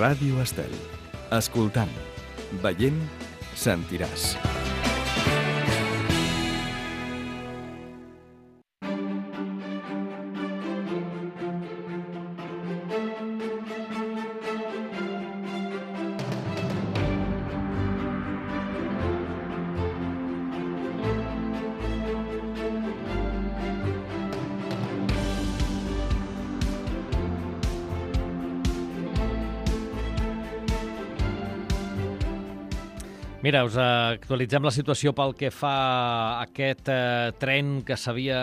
Ràdio Estel. Escoltant, veient, sentiràs. Mira, us actualitzem la situació pel que fa a aquest tren que s'havia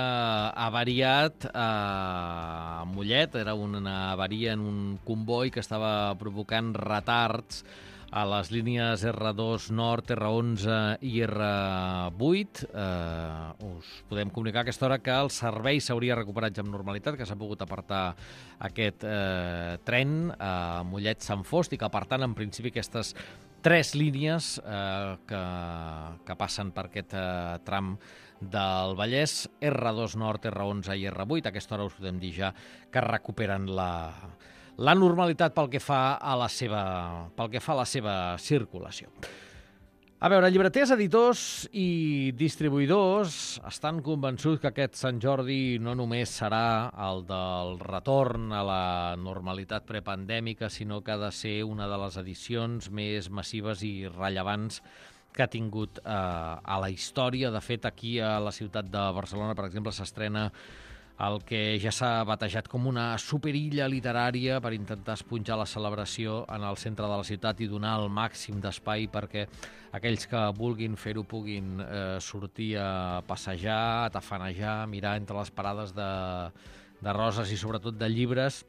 avariat a Mollet. Era una avaria en un comboi que estava provocant retards a les línies R2 Nord, R11 i R8. Us podem comunicar a aquesta hora que el servei s'hauria recuperat ja amb normalitat, que s'ha pogut apartar aquest tren a Mollet-Sant Fost i que, per tant, en principi aquestes 3 línies que passen per aquest tram del Vallès, R2 Nord, R11 i R8. A aquesta hora us podem dir ja que recuperen la normalitat pel que fa a la seva circulació. A veure, llibreters, editors i distribuïdors estan convençuts que aquest Sant Jordi no només serà el del retorn a la normalitat prepandèmica, sinó que ha de ser una de les edicions més massives i rellevants que ha tingut a la història. De fet, aquí a la ciutat de Barcelona, per exemple, s'estrena el que ja s'ha batejat com una superilla literària per intentar esponjar la celebració en el centre de la ciutat i donar el màxim d'espai perquè aquells que vulguin fer-ho puguin sortir a passejar, a tafanejar, mirar entre les parades de roses i sobretot de llibres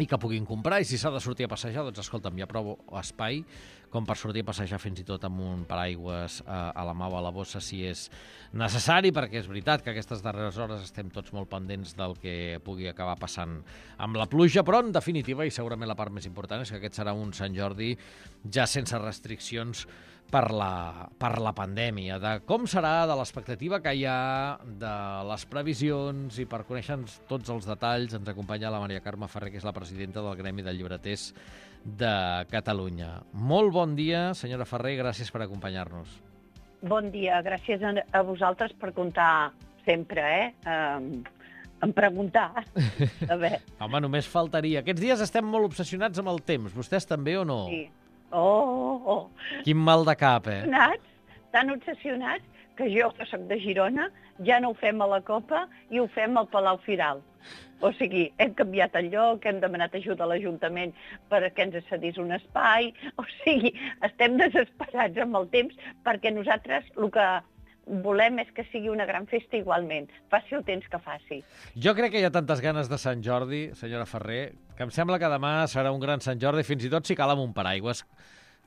i que puguin comprar. I si s'ha de sortir a passejar, doncs escolta'm, hi ha prou espai com per sortir a passejar fins i tot amb un paraigües a la mà o a la bossa si és necessari, perquè és veritat que aquestes darreres hores estem tots molt pendents del que pugui acabar passant amb la pluja, però en definitiva, i segurament la part més important, és que aquest serà un Sant Jordi ja sense restriccions per la pandèmia, de com serà, de l'expectativa que hi ha, de les previsions, i per conèixer tots els detalls ens acompanya la Maria Carme Ferrer, que és la presidenta del Gremi de Llibreters de Catalunya. Molt bon dia, senyora Ferrer, gràcies per acompanyar-nos. Bon dia, gràcies a vosaltres per comptar sempre, en preguntar. A veure. Home, només faltaria. Aquests dies estem molt obsessionats amb el temps. Vostès també o no? Sí. Quin mal de cap, Tan obsessionats que jo, que soc de Girona, ja no ho fem a la Copa i ho fem al Palau Firal. O sigui, hem canviat el lloc, hem demanat ajuda a l'Ajuntament perquè ens cedís un espai. O sigui, estem desesperats amb el temps perquè nosaltres el que volem és que sigui una gran festa igualment, faci el temps que faci. Jo crec que hi ha tantes ganes de Sant Jordi, senyora Ferrer, que em sembla que demà serà un gran Sant Jordi, fins i tot si cal amb un paraigües,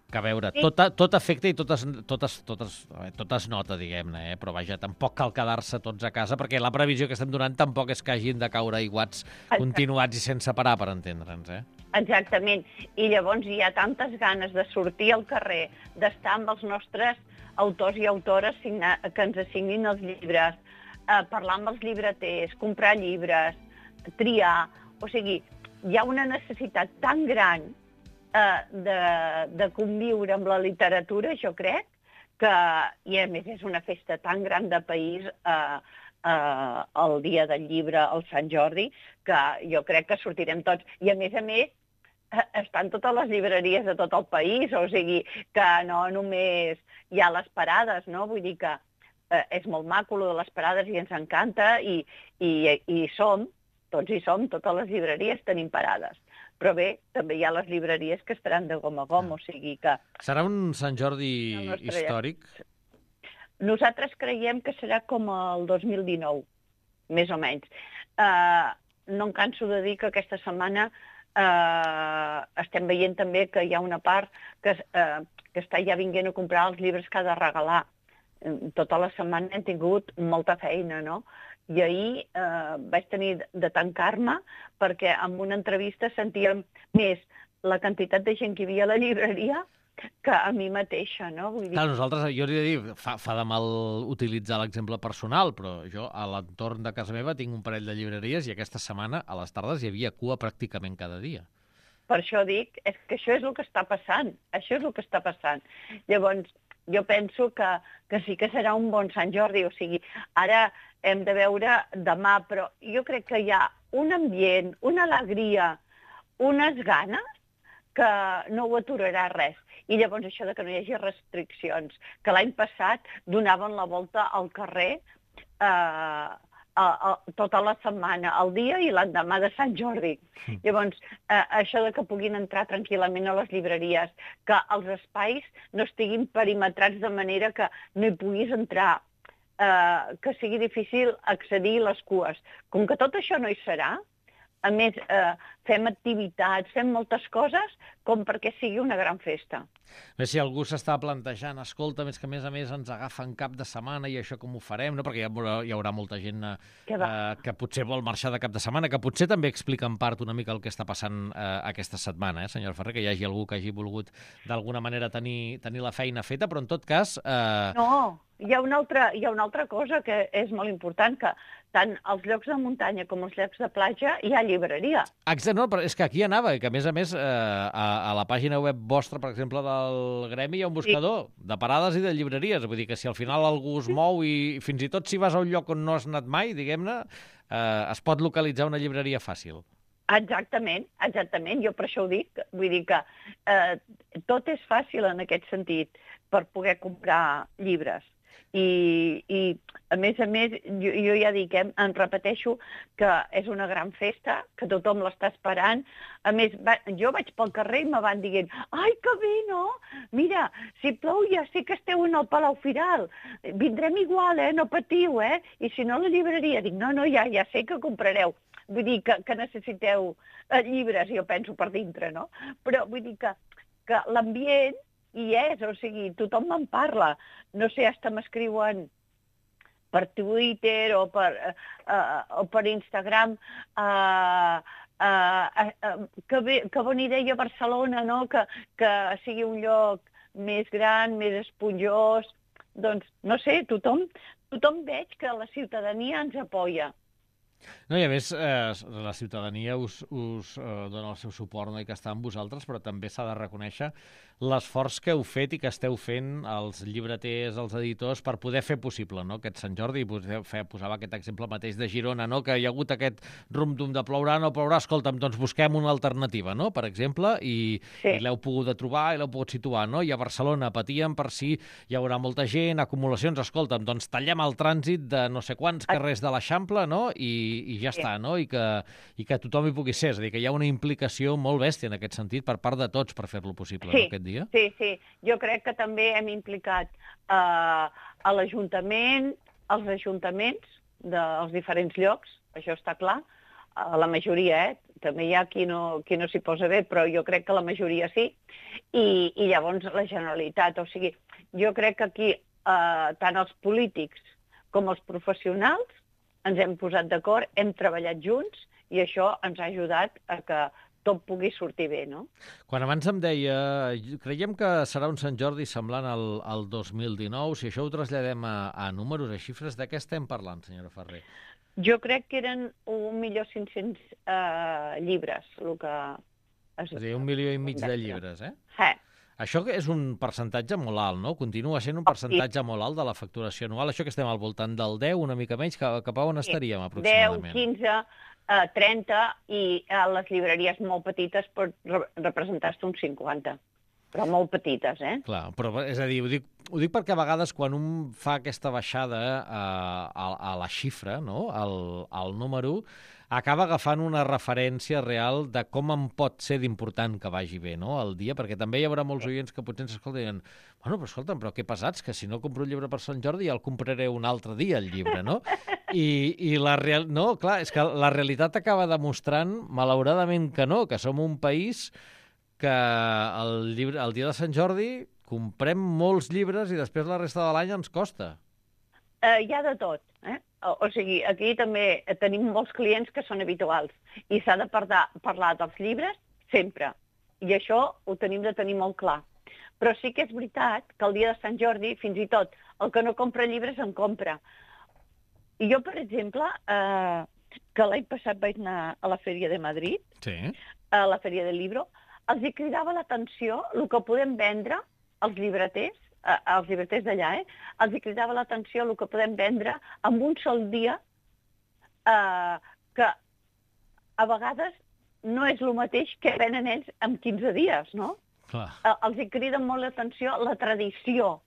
que a veure, sí. tot afecta i tot es nota, diguem-ne, però vaja, tampoc cal quedar-se tots a casa, perquè la previsió que estem donant tampoc és que hagin de caure aiguats continuats i sense parar, per entendre'ns, Exactament, i llavors hi ha tantes ganes de sortir al carrer, d'estar amb els nostres autors i autores que ens assignin els llibres, parlar amb els llibreters, comprar llibres, triar. O sigui, hi ha una necessitat tan gran de conviure amb la literatura, jo crec, i a més és una festa tan gran de país el dia del llibre, el Sant Jordi, que jo crec que sortirem tots. I a més, estan totes les llibreries de tot el país, o sigui que no només hi ha les parades, no? Vull dir que és molt maco de les parades i ens encanta i tots hi som, totes les llibreries tenim parades. Però bé, també hi ha les llibreries que estaran de gom a gom, o sigui que... Serà un Sant Jordi històric? Nosaltres creiem que serà com el 2019, més o menys. No em canso de dir que aquesta setmana estem veient també que hi ha una part que està ja vinguent a comprar els llibres que ha de regalar. Tota la setmana hem tingut molta feina, no? I ahir vaig tenir de tancar-me perquè en una entrevista sentíem més la quantitat de gent que hi havia a la llibreria que a mi mateixa, no? Vull dir... Clar, nosaltres, jo hauria de dir, fa de mal utilitzar l'exemple personal, però jo a l'entorn de casa meva tinc un parell de llibreries i aquesta setmana a les tardes hi havia cua pràcticament cada dia. Per això dic, és que això és el que està passant. Això és el que està passant. Llavors, jo penso que sí que serà un bon Sant Jordi. O sigui, ara hem de veure demà, però jo crec que hi ha un ambient, una alegria, unes ganes que no ho aturarà res. I llavors això de que no hi hagi restriccions, que l'any passat donaven la volta al carrer tota la setmana, el dia i l'endemà de Sant Jordi. Llavors, això de que puguin entrar tranquil·lament a les llibreries, que els espais no estiguin perimetrats de manera que no hi puguis entrar, que sigui difícil accedir a les cues. Com que tot això no hi serà, a més, fem activitats, fem moltes coses com perquè sigui una gran festa. Bé, si algú s'està plantejant, escolta, més que a més ens agafen cap de setmana i això com ho farem, no? Perquè hi haurà molta gent que potser vol marxar de cap de setmana, que potser també explica en part una mica el que està passant aquesta setmana, senyor Ferrer, que hi hagi algú que hagi volgut d'alguna manera tenir la feina feta, però en tot cas... No, hi ha una altra cosa que és molt important, que tant als llocs de muntanya com als llocs de platja hi ha llibreria. Exacte, no, però és que aquí anava, que a més a la pàgina web vostra, per exemple, del Gremi, hi ha un buscador de parades i de llibreries. Vull dir que si al final algú es mou i fins i tot si vas a un lloc on no has anat mai, diguem-ne, es pot localitzar una llibreria fàcil. Exactament. Jo per això ho dic. Vull dir que tot és fàcil en aquest sentit per poder comprar llibres. I a més, jo ja dic, em repeteixo que és una gran festa, que tothom l'està esperant. A més, jo vaig pel carrer i me van dient, ai, que bé, no? Mira, si plou ja sé que esteu en el Palau Firal, vindrem igual, no patiu, I si no, la llibreria. Dic, no, ja sé que comprareu. Vull dir que necessiteu llibres, jo penso, per dintre, no? Però vull dir que l'ambient hi és, o sigui, tothom me'n parla. No sé, hasta m'escriuen per Twitter o per Instagram que bona idea Barcelona, no? Que sigui un lloc més gran, més esponjós. Doncs, no sé, tothom veig que la ciutadania ens apoya. No, i a més, la ciutadania us dona el seu suport, no? I que està amb vosaltres, però també s'ha de reconèixer l'esforç que heu fet i que esteu fent els llibreters, els editors, per poder fer possible, no?, aquest Sant Jordi. Posava aquest exemple mateix de Girona, no?, que hi ha hagut aquest rum-dum de plourà, no plourà, escolta'm, doncs busquem una alternativa, no?, per exemple, i l'heu pogut trobar i l'heu pogut situar, no? I a Barcelona patíem per si hi haurà molta gent, acumulacions, escolta'm, doncs tallem el trànsit de no sé quants carrers de l'Eixample, no?, i ja està, no?, i que tothom hi pugui ser. És a dir, que hi ha una implicació molt bèstia en aquest sentit per part de tots per fer-lo possible, no, aquest dia. Sí. Jo crec que també hem implicat a l'Ajuntament, als ajuntaments dels diferents llocs, això està clar, la majoria, també hi ha qui no s'hi posa bé, però jo crec que la majoria sí, i llavors la Generalitat. O sigui, jo crec que aquí tant els polítics com els professionals ens hem posat d'acord, hem treballat junts i això ens ha ajudat a que tot pugui sortir bé, no? Quan abans em deia, creiem que serà un Sant Jordi semblant al 2019, si això ho traslladem a números, a xifres, de què estem parlant, senyora Ferrer? Jo crec que eren 1.500.000 llibres, el que... És a dir, 1,5 milions de llibres, Això és un percentatge molt alt, no? Continua sent un percentatge molt alt de la facturació anual. Això que estem al voltant del 10, una mica menys, cap a on estaríem aproximadament? 10, 15, 30, i a les llibreries molt petites pot representar-se un 50, però molt petites, Clar, però és a dir, ho dic perquè a vegades quan un fa aquesta baixada a la xifra, no?, al número, acaba agafant una referència real de com em pot ser d'important que vagi bé, no?, el dia, perquè també hi haurà molts oients que potser ens escolten i diuen, bueno, però escolta'm, però que pesats, que si no compro un llibre per Sant Jordi ja el compraré un altre dia, el llibre, no? No, clar, és que la realitat acaba demostrant, malauradament, que no, que som un país que el dia de Sant Jordi comprem molts llibres i després la resta de l'any ens costa. Hi ha de tot, O sigui, aquí també tenim molts clients que són habituals i s'ha de parlar dels llibres sempre. I això ho tenim de tenir molt clar. Però sí que és veritat que el dia de Sant Jordi, fins i tot, el que no compra llibres en compra. I jo, per exemple, que l'any passat vaig anar a la Fèria de Madrid, a la Fèria del Libro, els hi cridava l'atenció el que podem vendre als llibreters d'allà, els hi cridava l'atenció el que podem vendre en un sol dia, que a vegades no és el mateix que venen ells en 15 dies, no? Clar. Els hi crida molt l'atenció la tradició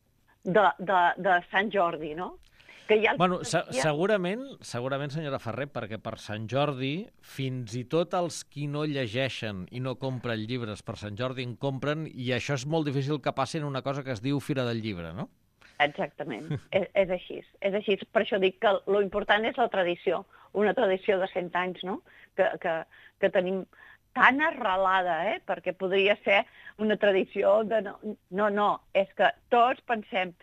de Sant Jordi, no? Que ja Bueno, segurament, senyora Ferrer, perquè per Sant Jordi, fins i tot els qui no llegeixen i no compren llibres per Sant Jordi en compren, i això és molt difícil que passi en una cosa que es diu Fira del Llibre, no? Exactament, és així. És així. Per això dic que lo important és la tradició, una tradició de 100 anys, no? Que tenim tan arrelada, perquè podria ser una tradició de... No, és que tots pensem...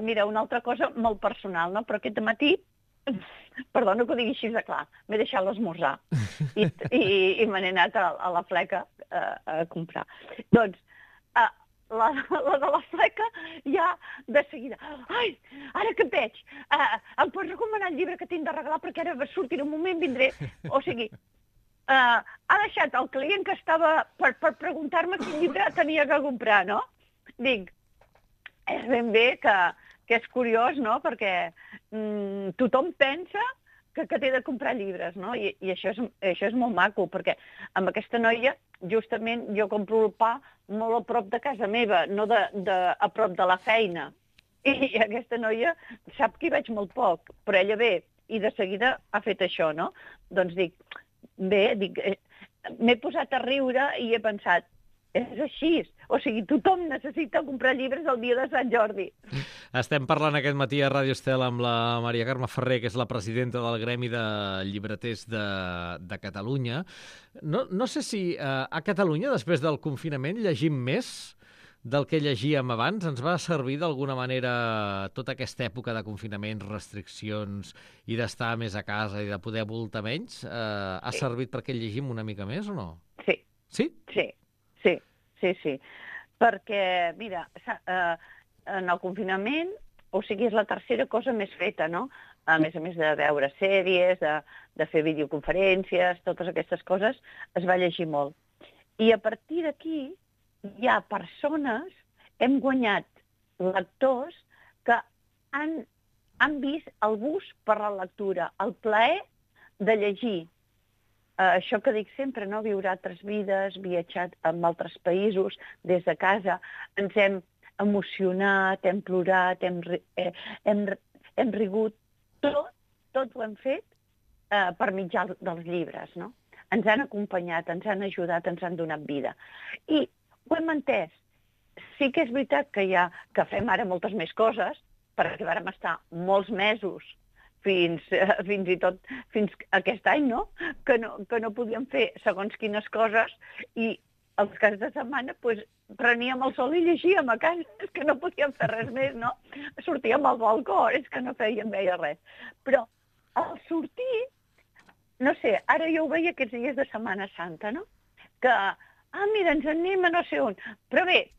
Mira, una altra cosa molt personal, no? Però aquest matí, perdona que ho digui així de clar, m'he deixat l'esmorzar i me n'he anat a la fleca a comprar. Doncs, la de la fleca ja de seguida. Ai, ara que et veig, em pots recomanar el llibre que tinc de regalar perquè ara sortiré un moment, vindré... O sigui... ha deixat el client que estava per preguntar-me quin llibre tenia que comprar, no? Dic, és ben bé que és curiós, no? Perquè tothom pensa que té de comprar llibres, no? I això és molt maco, perquè amb aquesta noia, justament, jo compro el pa molt a prop de casa meva, no a prop de la feina. I aquesta noia sap que hi veig molt poc, però ella ve i de seguida ha fet això, no? Doncs dic, m'he posat a riure i he pensat, és així. O sigui, tothom necessita comprar llibres el dia de Sant Jordi. Estem parlant aquest matí a Ràdio Estel amb la Maria Carme Ferrer, que és la presidenta del Gremi de Llibreters de Catalunya. No sé si a Catalunya, després del confinament, llegim més del que llegíem abans. Ens va servir d'alguna manera tota aquesta època de confinaments, restriccions i d'estar més a casa i de poder voltar menys? Ha servit perquè llegim una mica més o no? Sí. Sí? Sí. Perquè, mira, en el confinament, o sigui, és la tercera cosa més feta, no? A més de veure sèries, de fer videoconferències, totes aquestes coses, es va llegir molt. I a partir d'aquí hi ha persones, hem guanyat lectors que han vist el gust per la lectura, el plaer de llegir. Això que dic sempre, no? Viure altres vides, viatjat en altres països, des de casa, ens hem emocionat, hem plorat, hem rigut, tot ho hem fet per mitjà dels llibres, no? Ens han acompanyat, ens han ajudat, ens han donat vida. I ho hem entès. Sí que és veritat que fem ara moltes més coses, perquè vàrem estar molts mesos fins aquest any, no? Que no podíem fer segons quines coses i els caps de setmana preníem el sol i llegíem a casa, és que no podíem fer res més, no? Sortíem al balcó, és que no fèiem res. Però al sortir, no sé, ara jo ho veia aquests dies de Setmana Santa, no? Que mira, ens anem a no sé on. Però bé,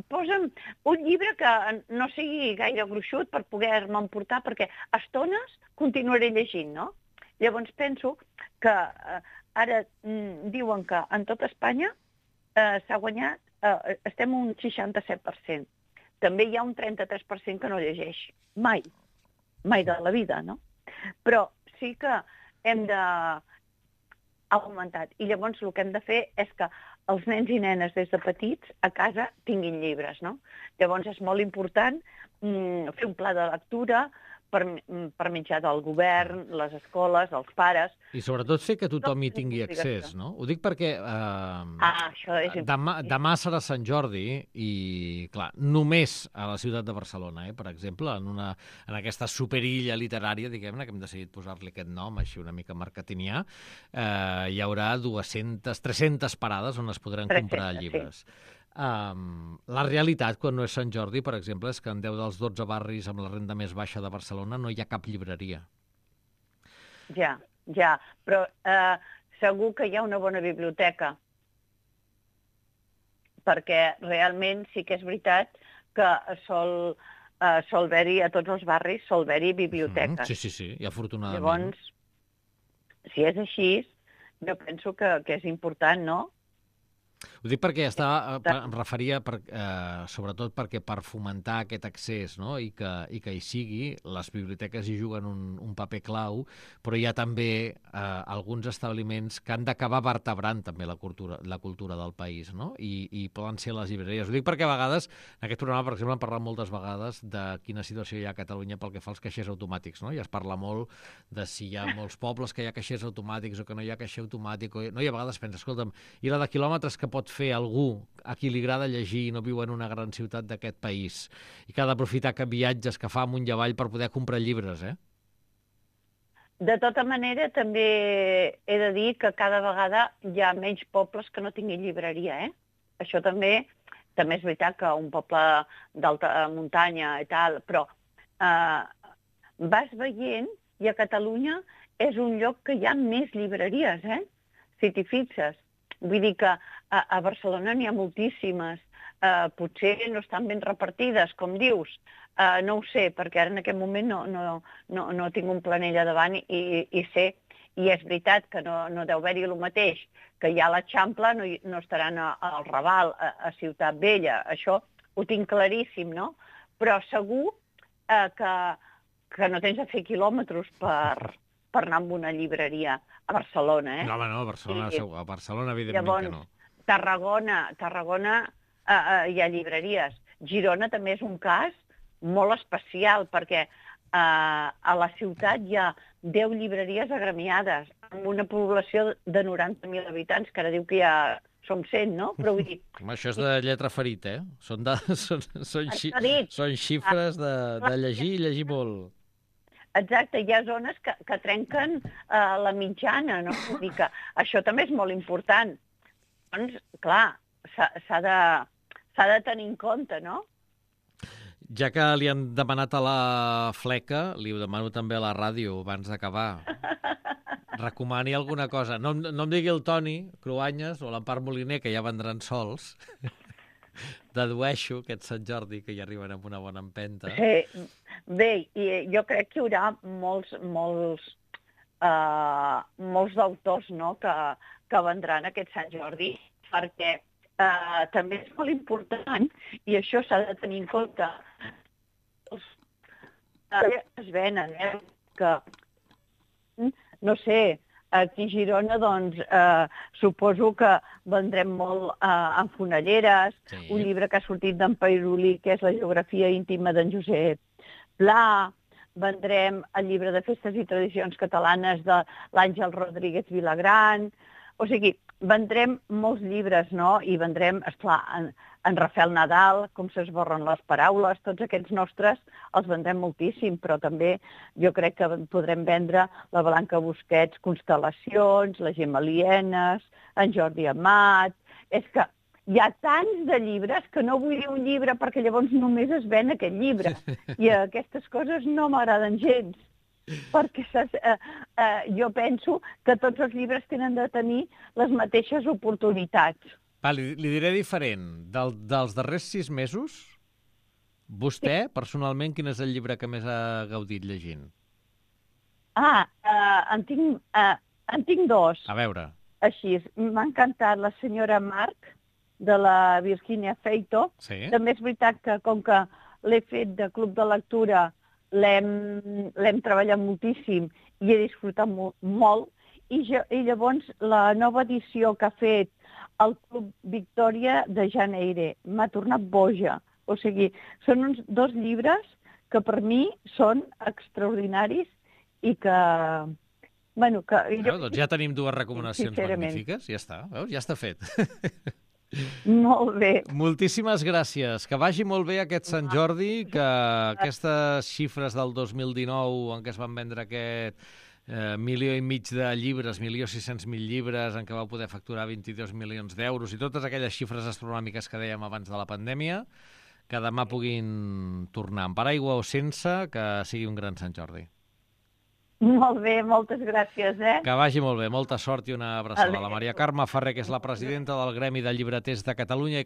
posa'm un llibre que no sigui gaire gruixut per poder-me emportar, perquè a estones continuaré llegint, no? Llavors penso que ara diuen que en tot Espanya s'ha guanyat, estem un 67%. També hi ha un 33% que no llegeix. Mai de la vida, no? Però sí que hem augmentat. I llavors el que hem de fer és que els nens i nenes des de petits a casa tinguin llibres, no? Llavors és molt important fer un pla de lectura per mitjà del govern, les escoles, els pares... I sobretot fer que tothom hi tingui accés, no? Ho dic perquè això és demà serà Sant Jordi i, clar, només a la ciutat de Barcelona, per exemple, en aquesta superilla literària, diguem-ne, que hem decidit posar-li aquest nom, així una mica marketingià, hi haurà 300 parades on es podran comprar llibres. Sí. La realitat, quan no és Sant Jordi, per exemple, és que en 10 dels 12 barris amb la renda més baixa de Barcelona no hi ha cap llibreria. Ja, però segur que hi ha una bona biblioteca, perquè realment sí que és veritat que sol haver-hi a tots els barris, sol haver-hi biblioteques. Sí, i afortunadament. Llavors, si és així, jo penso que és important, no? Ho dic perquè em referia sobretot perquè per fomentar aquest accés, no? I que hi sigui, les biblioteques hi juguen un paper clau, però hi ha també alguns establiments que han d'acabar vertebrant també la cultura del país, no? I poden ser les llibreries. Ho dic perquè a vegades, en aquest programa, per exemple, hem parlat moltes vegades de quina situació hi ha a Catalunya pel que fa als caixers automàtics, no? I es parla molt de si hi ha molts pobles que hi ha caixers automàtics o que no hi ha caixer automàtic, no? I a vegades pensa, escolta'm, i la de quilòmetres que pot fer algú a qui li agrada llegir i no viu en una gran ciutat d'aquest país i que ha d'aprofitar que viatges que fa amunt i avall per poder comprar llibres, De tota manera, també he de dir que cada vegada hi ha menys pobles que no tinguin llibreria, Això també és veritat que un poble d'alta muntanya i tal, però vas veient i a Catalunya és un lloc que hi ha més llibreries, si t'hi fixes. Vull dir que a Barcelona n'hi ha moltíssimes. Potser no estan ben repartides, com dius. No ho sé, perquè ara en aquest moment no tinc un planell a davant i sé, i és veritat que no deu haver-hi el mateix, que hi ha a l'Eixample, no estaran al Raval, a Ciutat Vella. Això ho tinc claríssim, no? Però segur que no tens de fer quilòmetres per anar a una llibreria a Barcelona, No, home, no, a Barcelona evidentment llavors, que no. Tarragona hi ha llibreries. Girona també és un cas molt especial, perquè a la ciutat hi ha 10 llibreries agremiades, amb una població de 90.000 habitants, que ara diu que ja som 100, no? Però vull dir... Home, això és de lletra ferita, Són xifres de llegir i llegir molt. Exacte, hi ha zones que trenquen la mitjana, no? Vull dir que això també és molt important. Doncs, clar, s'ha de tenir en compte, no? Ja que li han demanat a la fleca, li ho demano també a la ràdio, abans d'acabar. Recomani alguna cosa. No em digui el Toni Cruanyes o l'Empar Moliner, que ja vendran sols. Dedueixo aquest Sant Jordi, que hi arriben amb una bona empenta. Sí. Bé, jo crec que hi haurà molts d'autors, no?, que vendran aquest Sant Jordi, perquè també és molt important, i això s'ha de tenir en compte, es venen, que, no sé, aquí a Girona, doncs, suposo que vendrem molt en fonelleres, sí. Un llibre que ha sortit d'en Pairulí, que és la geografia íntima d'en Josep Pla, vendrem el llibre de festes i tradicions catalanes de l'Àngel Rodríguez Vilagran, o sigui, vendrem molts llibres, no? I vendrem, esclar, en Rafael Nadal, com s'esborren les paraules, tots aquests nostres els vendrem moltíssim, però també jo crec que podrem vendre la Blanca Busquets, Constel·lacions, la Gemma Lienes, en Jordi Amat... És que hi ha tants de llibres que no vull dir un llibre perquè llavors només es ven aquest llibre. I aquestes coses no m'agraden gens, perquè jo penso que tots els llibres tenen de tenir les mateixes oportunitats. Li diré diferent. Dels darrers 6 mesos, vostè, personalment, quin és el llibre que més ha gaudit llegint? En tinc 2. A veure. Així, m'ha encantat La senyora Marc, de la Virginia Feito. Sí. També és veritat que, com que l'he fet de club de lectura, l'hem treballat moltíssim i he disfrutat molt. I llavors la nova edició que ha fet el Club Victòria de Janeire m'ha tornat boja. O sigui, són 2 llibres que per mi són extraordinaris i que... Bueno, doncs ja tenim 2 recomanacions magnífiques. Ja està, veus? Ja està fet. Molt bé. Moltíssimes gràcies. Que vagi molt bé aquest Sant Jordi, que aquestes xifres del 2019 en què es van vendre aquest 1,5 milió de llibres, 1.600.000 llibres, en què va poder facturar 22 milions d'euros i totes aquelles xifres astronòmiques que dèiem abans de la pandèmia, que demà puguin tornar amb paraigua o sense, que sigui un gran Sant Jordi. Molt bé, moltes gràcies, Que vagi molt bé, molta sort i una abraçada. La Maria Carme Ferrer, que és la presidenta del Gremi de Llibreters de Catalunya i